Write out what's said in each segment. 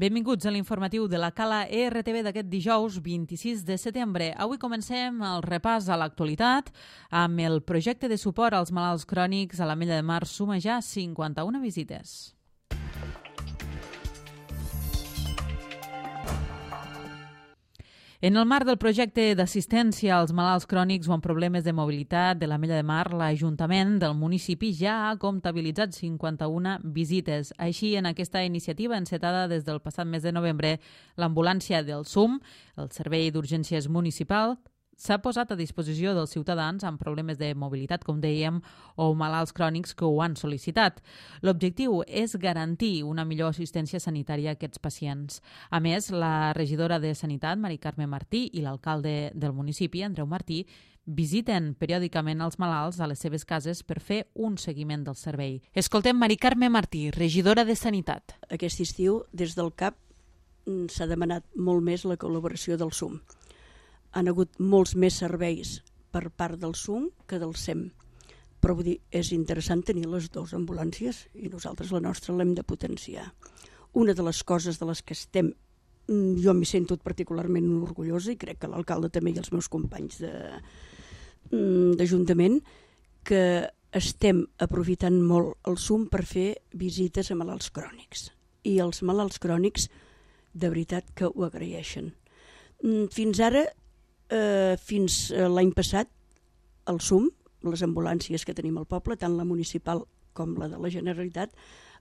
Benvinguts a l'informatiu de la Cala ERTV d'aquest dijous 26 de setembre. Avui comencem el repàs a l'actualitat amb el projecte de suport als malalts crònics a l'Ametlla de Mar suma ja 51 visites. En el marc del projecte d'assistència als malalts crònics o amb problemes de mobilitat de l'Ametlla de Mar, l'Ajuntament del municipi ja ha comptabilitzat 51 visites. Així, en aquesta iniciativa encetada des del passat mes de novembre, l'ambulància del SUM, el Servei d'Urgències Municipal, s'ha posat a disposició dels ciutadans amb problemes de mobilitat, com dèiem, o malalts crònics que ho han sol·licitat. L'objectiu és garantir una millor assistència sanitària a aquests pacients. A més, la regidora de Sanitat, Mari Carme Martí, i l'alcalde del municipi, Andreu Martí, visiten periòdicament els malalts a les seves cases per fer un seguiment del servei. Escoltem Mari Carme Martí, regidora de Sanitat. Aquest estiu, des del CAP, s'ha demanat molt més la col·laboració del SUM. Han hagut molts més serveis per part del SUM que del SEM. Però vull dir, és interessant tenir les dues ambulàncies i nosaltres la nostra l'hem de potenciar. Una de les coses de les que estem, jo m'hi sento particularment orgullosa i crec que l'alcalde també i els meus companys d'Ajuntament, que estem aprofitant molt el SUM per fer visites a malalts crònics. I els malalts crònics de veritat que ho agraeixen. Fins ara, fins l'any passat, el SUM, les ambulàncies que tenim al poble, tant la municipal com la de la Generalitat,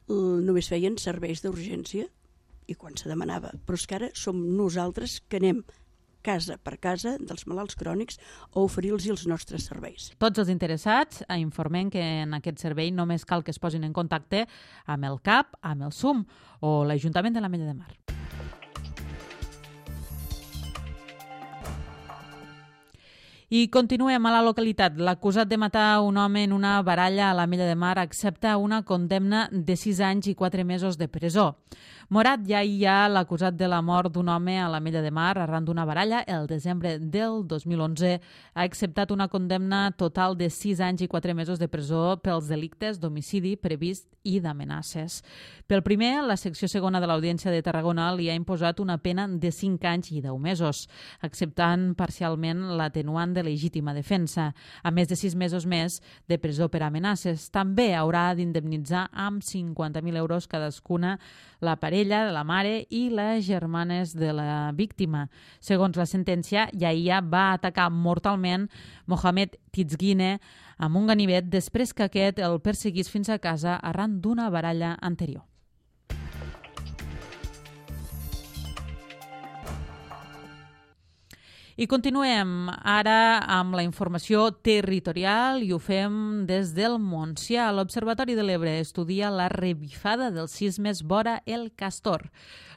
només feien serveis d'urgència i quan se demanava. Però és que ara som nosaltres que anem casa per casa dels malalts crònics a oferir-los els nostres serveis. Tots els interessats informem que en aquest servei només cal que es posin en contacte amb el CAP, amb el SUM o l'Ajuntament de l'Ametlla de Mar. I continuem a la localitat. L'acusat de matar un home en una baralla a l'Ametlla de Mar accepta una condemna de 6 anys i 4 mesos de presó. Morat Yahya, l'acusat de la mort d'un home a l'Ametlla de Mar arran d'una baralla el desembre del 2011, ha acceptat una condemna total de 6 anys i 4 mesos de presó pels delictes d'homicidi previst i d'amenaces. Pel primer, la secció segona de l'Audiència de Tarragona li ha imposat una pena de 5 anys i 10 mesos, acceptant parcialment l'atenuant de legítima defensa, a més de 6 mesos més de presó per amenaces. També haurà d'indemnitzar amb 50.000 euros cadascuna la parella, la mare i les germanes de la víctima. Segons la sentència, Yahya va atacar mortalment Mohamed Tizgine amb un ganivet després que aquest el perseguís fins a casa arran d'una baralla anterior. I continuem ara amb la informació territorial i ho fem des del Montsià. L'Observatori de l'Ebre estudia la revifada dels sismes vora el Castor.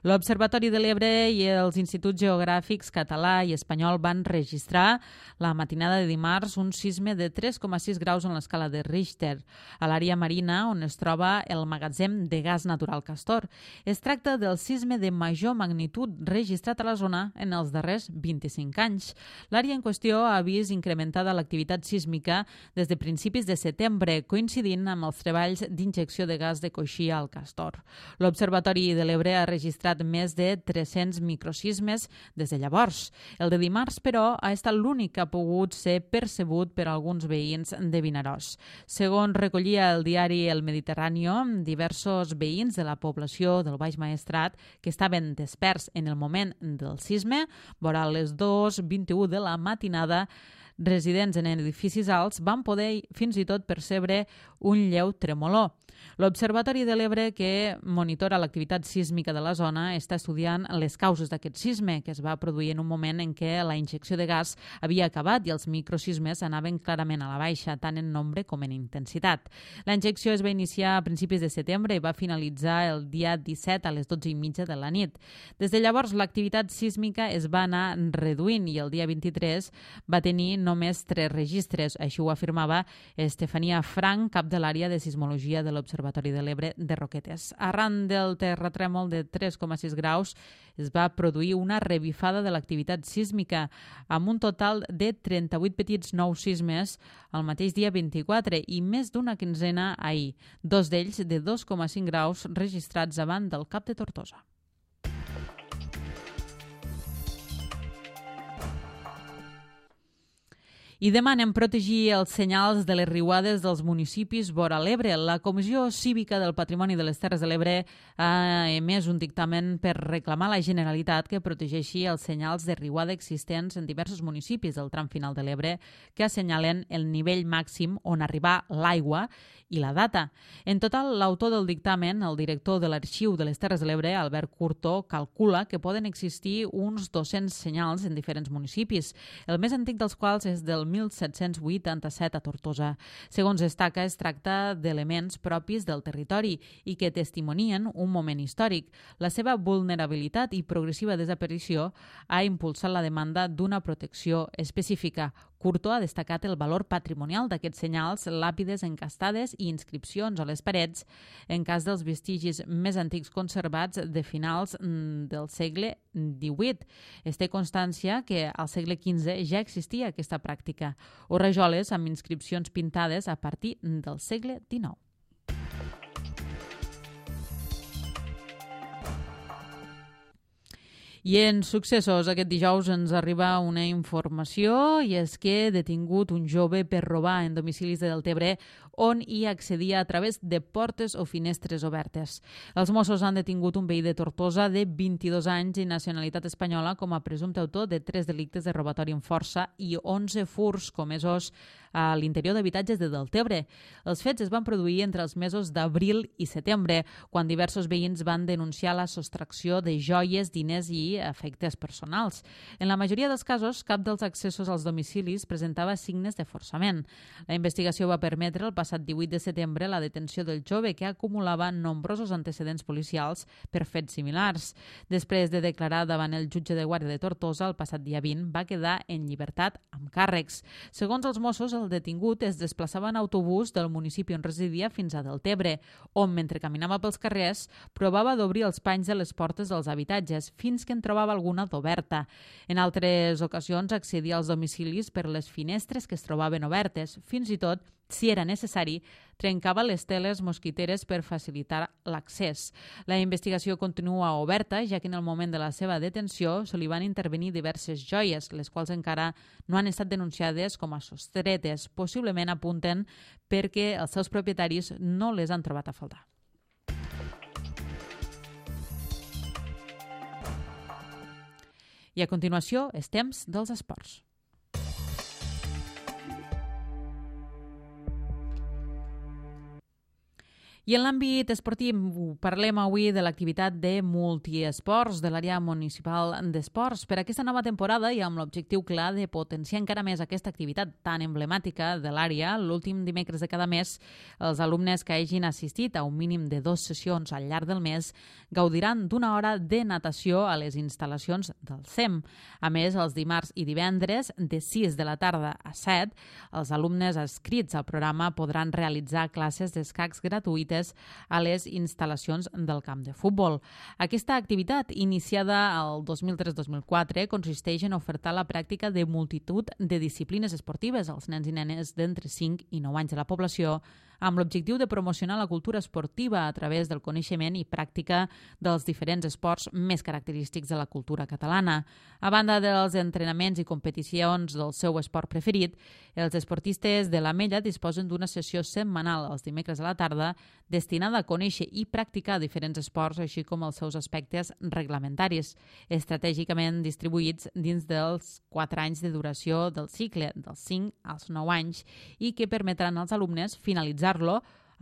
L'Observatori de l'Ebre i els Instituts Geogràfics català i espanyol van registrar la matinada de dimarts un sisme de 3,6 graus en l'escala de Richter, a l'àrea marina on es troba el magatzem de gas natural Castor. Es tracta del sisme de major magnitud registrat a la zona en els darrers 25 anys. L'àrea en qüestió ha vist incrementada l'activitat sísmica des de principis de setembre, coincidint amb els treballs d'injecció de gas de coixí al Castor. L'Observatori de l'Ebre ha registrat més de 300 microsismes des de llavors. El de dimarts, però, ha estat l'únic que ha pogut ser percebut per alguns veïns de Vinaròs. Segons recollia el diari El Mediterráneo, diversos veïns de la població del Baix Maestrat que estaven desperts en el moment del sisme, vora les 2:21 de la matinada, residents en edificis alts van poder fins i tot percebre un lleu tremolor. L'Observatori de l'Ebre, que monitora l'activitat sísmica de la zona, està estudiant les causes d'aquest sisme, que es va produir en un moment en què la injecció de gas havia acabat i els microsismes anaven clarament a la baixa, tant en nombre com en intensitat. La injecció es va iniciar a principis de setembre i va finalitzar el dia 17 a les 12:30 de la nit. Des de llavors, l'activitat sísmica es va anar reduint i el dia 23 va tenir només 3 registres. Així ho afirmava Estefania Frank, cap de l'àrea de sismologia de l'Observatori de l'Ebre de Roquetes. Arran del terratrèmol de 3,6 graus es va produir una revifada de l'activitat sísmica amb un total de 38 petits nous sismes el mateix dia 24 i més d'una quinzena ahir, 2 d'ells de 2,5 graus registrats davant del Cap de Tortosa. I demanen protegir els senyals de les riuades dels municipis vora l'Ebre. La Comissió Cívica del Patrimoni de les Terres de l'Ebre ha emès un dictamen per reclamar a la Generalitat que protegeixi els senyals de riuada existents en diversos municipis del tram final de l'Ebre que assenyalen el nivell màxim on arribar l'aigua i la data. En total, l'autor del dictamen, el director de l'Arxiu de les Terres de l'Ebre, Albert Curto, calcula que poden existir uns 200 senyals en diferents municipis, el més antic dels quals és del 1787 a Tortosa. Segons destaca, es tracta d'elements propis del territori i que testimonien un moment històric. La seva vulnerabilitat i progressiva desaparició ha impulsat la demanda d'una protecció específica. Curto ha destacat el valor patrimonial d'aquests senyals, làpides encastades i inscripcions a les parets, en cas dels vestigis més antics conservats de finals del segle XVIII. Es té constància que al segle XV ja existia aquesta pràctica, o rajoles amb inscripcions pintades a partir del segle XIX. I en successos, aquest dijous ens arriba una informació i és que detingut un jove per robar en domicilis de Deltebre on hi accedia a través de portes o finestres obertes. Els Mossos han detingut un veí de Tortosa de 22 anys i nacionalitat espanyola com a presumpte autor de 3 delictes de robatori amb força i 11 furs comesos a l'interior d'habitatges de Deltebre. Els fets es van produir entre els mesos d'abril i setembre, quan diversos veïns van denunciar la sostracció de joies, diners i efectes personals. En la majoria dels casos, cap dels accessos als domicilis presentava signes de forçament. La investigació va permetre el passat 18 de setembre la detenció del jove, que acumulava nombrosos antecedents policials per fets similars. Després de declarar davant el jutge de guàrdia de Tortosa, el passat dia 20, va quedar en llibertat amb càrrecs. Segons els Mossos, el detingut es desplaçava en autobús del municipi on residia fins a Deltebre, on, mentre caminava pels carrers, provava d'obrir els panys de les portes dels habitatges fins que en trobava alguna d'oberta. En altres ocasions accedia als domicilis per les finestres que es trobaven obertes. Fins i tot, si era necessari, trencava les teles mosquiteres per facilitar l'accés. La investigació continua oberta, ja que en el moment de la seva detenció se li van intervenir diverses joies, les quals encara no han estat denunciades com a sostretes. Possiblement apunten perquè els seus propietaris no les han trobat a faltar. I a continuació, és temps dels esports. I en l'àmbit esportiu parlem avui de l'activitat de multiesports de l'àrea municipal d'esports. Per aquesta nova temporada i amb l'objectiu clar de potenciar encara més aquesta activitat tan emblemàtica de l'àrea, l'últim dimecres de cada mes, els alumnes que hagin assistit a un mínim de 2 sessions al llarg del mes gaudiran d'una hora de natació a les instal·lacions del CEM. A més, els dimarts i divendres, de 6 de la tarda a 7, els alumnes adscrits al programa podran realitzar classes d'escacs gratuïtes a les instal·lacions del camp de futbol. Aquesta activitat, iniciada el 2003-2004, consisteix en ofertar la pràctica de multitud de disciplines esportives als nens i nenes d'entre 5 i 9 anys de la població, amb l'objectiu de promocionar la cultura esportiva a través del coneixement i pràctica dels diferents esports més característics de la cultura catalana. A banda dels entrenaments i competicions del seu esport preferit, els esportistes de l'Ametlla disposen d'una sessió setmanal els dimecres a la tarda destinada a conèixer i practicar diferents esports, així com els seus aspectes reglamentaris, estratègicament distribuïts dins dels 4 anys de duració del cicle, dels 5 als 9 anys, i que permetran als alumnes finalitzar-lo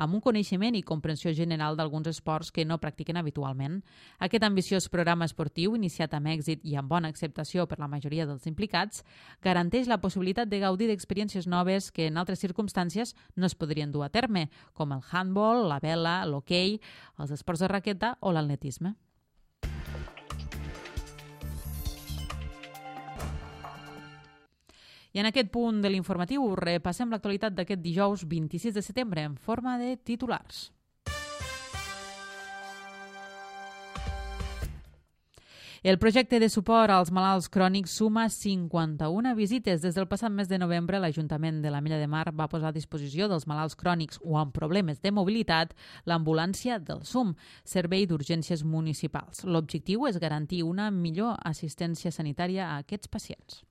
amb un coneixement i comprensió general d'alguns esports que no practiquen habitualment. Aquest ambiciós programa esportiu, iniciat amb èxit i amb bona acceptació per la majoria dels implicats, garanteix la possibilitat de gaudir d'experiències noves que en altres circumstàncies no es podrien dur a terme, com el handball, la vela, l'hoquei, els esports de raqueta o l'atletisme. I en aquest punt de l'informatiu repassem l'actualitat d'aquest dijous 26 de setembre en forma de titulars. El projecte de suport als malalts crònics suma 51 visites. Des del passat mes de novembre, l'Ajuntament de l'Ametlla de Mar va posar a disposició dels malalts crònics o amb problemes de mobilitat l'ambulància del SUM, Servei d'Urgències Municipals. L'objectiu és garantir una millor assistència sanitària a aquests pacients.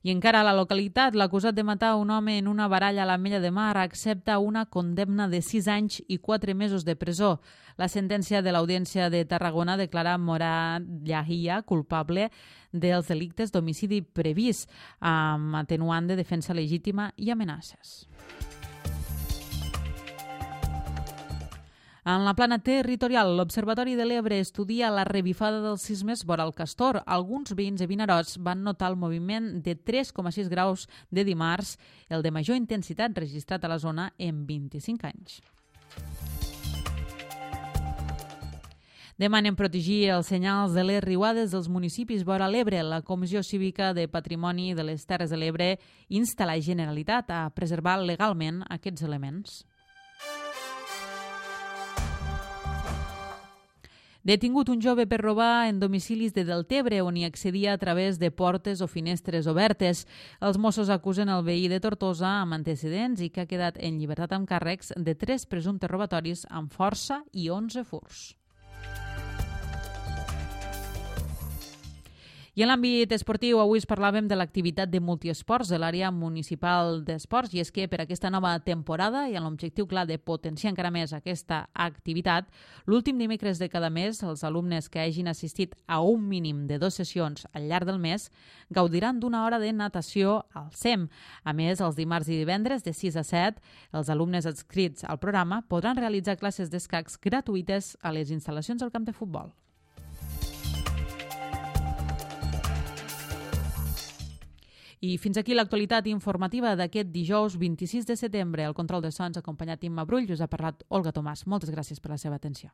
I encara a la localitat, l'acusat de matar un home en una baralla a l'Ametlla de Mar accepta una condemna de 6 anys i 4 mesos de presó. La sentència de l'Audiència de Tarragona declara Morad Yahia culpable dels delictes d'homicidi previst, amb atenuant de defensa legítima i amenaces. En la plana territorial, l'Observatori de l'Ebre estudia la revifada dels sismes vora el Castor. Alguns veïns de Vinaròs van notar el moviment de 3,6 graus de dimarts, el de major intensitat registrat a la zona en 25 anys. Demanen protegir els senyals de les riuades dels municipis vora l'Ebre. La Comissió Cívica de Patrimoni de les Terres de l'Ebre insta la Generalitat a preservar legalment aquests elements. Detingut un jove per robar en domicilis de Deltebre, on hi accedia a través de portes o finestres obertes. Els Mossos acusen el veí de Tortosa amb antecedents i que ha quedat en llibertat amb càrrecs de 3 presumptes robatoris amb força i 11 furts. I en l'àmbit esportiu, avui parlàvem de l'activitat de multiesports de l'àrea municipal d'esports, i és que per aquesta nova temporada i amb l'objectiu clar de potenciar encara més aquesta activitat, l'últim dimecres de cada mes, els alumnes que hagin assistit a un mínim de 2 sessions al llarg del mes gaudiran d'una hora de natació al SEM. A més, els dimarts i divendres de 6 a 7, els alumnes adscrits al programa podran realitzar classes d'escacs gratuïtes a les instal·lacions del camp de futbol. I fins aquí l'actualitat informativa d'aquest dijous 26 de setembre. Al control de sons, acompanyat d'Imma Brull, us ha parlat Olga Tomàs. Moltes gràcies per la seva atenció.